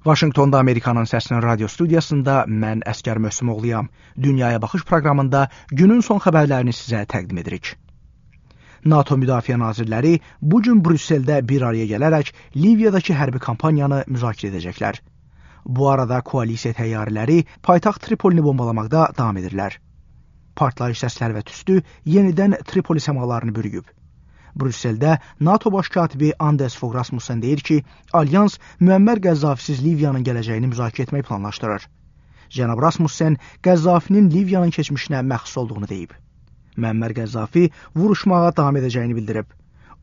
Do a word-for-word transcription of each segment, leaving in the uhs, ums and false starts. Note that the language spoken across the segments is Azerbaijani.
Vaşinqtonda Amerikanın Səsinin radio studiyasında mən Əsgər Möhsümoğluyam. Dünyaya Baxış proqramında günün son xəbərlərini sizə təqdim edirik. NATO Müdafiə Nazirləri bu gün Brüsseldə bir araya gələrək Liviyadakı hərbi kampaniyanı müzakirə edəcəklər. Bu arada koalisiya təyyarələri paytaxt Tripolini bombalamaqda davam edirlər. Partlayış səsləri və tüstü yenidən Tripoli səmalarını bürüyüb. Brüsseldə NATO baş katibi Anders Fogh Rasmussen deyir ki, Alyans Müəmmər Qəzzafisiz Liviyanın gələcəyini müzakirə etmək planlaşdırır. Cənab Rasmussen Qəzzafinin Liviyanın keçmişinə məxsus olduğunu deyib. Müəmmər Qəzzafi vuruşmağa davam edəcəyini bildirib.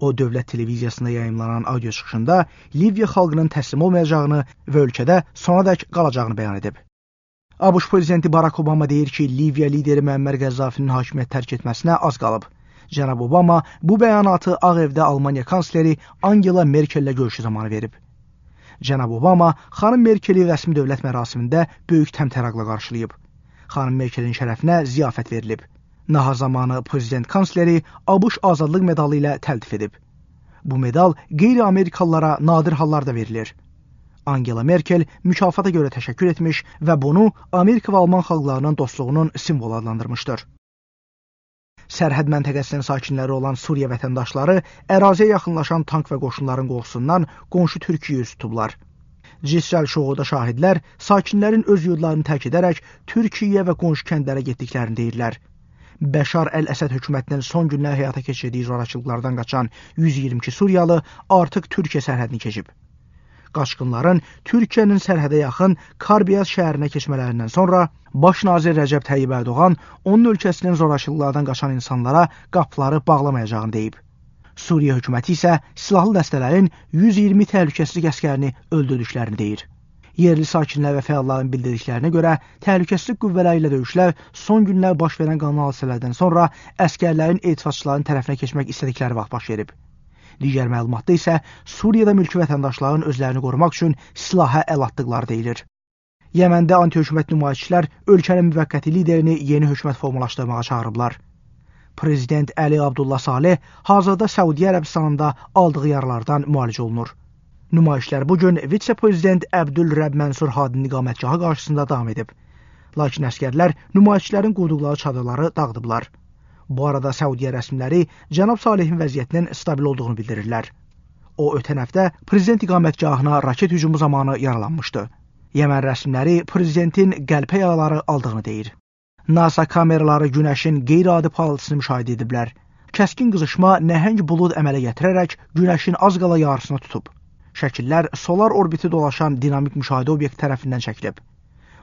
O, dövlət televiziyasında yayımlanan audio çıxışında Liviya xalqının təslim olmayacağını və ölkədə sonadək qalacağını bəyan edib. ABŞ prezidenti Barack Obama deyir ki, Liviya lideri Müəmmər Qəzzafinin hakimiyyət tərk etməsinə az qalıb. Cənab Obama bu bəyanatı Ağ Evdə Almaniya kansleri Angela Merkellə görüşü zamanı verib. Cənab Obama xanım Merkeli rəsmi dövlət mərasimində böyük təmtəraqla qarşılayıb. Xanım Merkelin şərəfinə ziyafət verilib. Nahar zamanı prezident kansleri ABŞ azadlıq medalı ilə təltif edib. Bu medal qeyri-Amerikalılara nadir hallarda verilir. Angela Merkel mükafata görə təşəkkür etmiş və bunu Amerika və Alman xalqlarının dostluğunun simvolu adlandırmışdır. Sərhəd məntəqəsinin sakinləri olan Suriya vətəndaşları əraziyə yaxınlaşan tank və qoşunların qorxusundan qonşu Türkiyəyə üz tutublar. Cisrəl Şoğuda şahidlər sakinlərin öz yurdlarını tərk edərək Türkiyə və qonşu kəndlərə getdiklərini deyirlər. Bəşar Əl-Əsəd hökumətinin son günlər həyata keçirdiyi zorakılıqlardan qaçan yüz iyirmi iki Suriyalı artıq Türkiyə sərhədini keçib. Qaçqınların Türkiyənin sərhədə yaxın Karbiyaz şəhərinə keçmələrindən sonra Baş nazir Rəcəb Tayyib Ərdoğan onun ölkəsinin zorakılıqlardan qaçan insanlara qapıları bağlamayacağını deyib. Suriya hökuməti isə silahlı dəstələrin yüz iyirmi təhlükəsizlik əskərini öldürdüklərini deyir. Yerli sakinlər və fəalların bildirdiklərinə görə təhlükəsizlik qüvvələri ilə döyüşlər son günlər baş verən qanlı hadisələrdən sonra əskərlərin etirazçıların tərəfinə keçmək istədikləri vaxt baş verib. Digər məlumatda isə Suriyada mülki vətəndaşların özlərini qorumaq üçün silaha əl atdıqları deyilir. Yəməndə anti-hökumət nümayişçilər ölkənin müvəqqəti liderini yeni hökumət formalaşdırmağa çağırıblar. Prezident Əli Abdullah Saleh hazırda Səudiyyə Ərəbistanında aldığı yaralardan müalicə olunur. Nümayişlər bugün vitse-prezident Əbdülrəbb Mənsur Hadinin iqamətgahı qarşısında davam edib. Lakin əskərlər nümayişçilərin qurduqları çadırları dağıdıblar. Bu arada Səudiyyə rəsmiləri cənab Salehin vəziyyətinin stabil olduğunu bildirirlər. O, ötən həftə prezident iqamətgahına raket hücumu zamanı yaralanmışdı. Yəmən rəsmiləri prezidentin qəlpə yaraları aldığını deyir. NASA kameraları günəşin qeyri-adi parıltısını müşahidə ediblər. Kəskin qızışma nəhəng bulud əmələ gətirərək günəşin az qala yarısını tutub. Şəkillər solar orbiti dolaşan dinamik müşahidə obyekti tərəfindən çəkilib.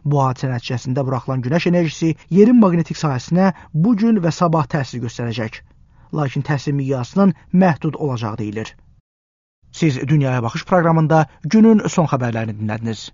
Bu hadisə nəticəsində buraxılan günəş enerjisi yerin maqnetik sahəsinə bu gün və sabah təsir göstərəcək. Lakin təsir miqyasının məhdud olacağı deyilir. Siz Dünyaya Baxış proqramında günün son xəbərlərini dinlədiniz.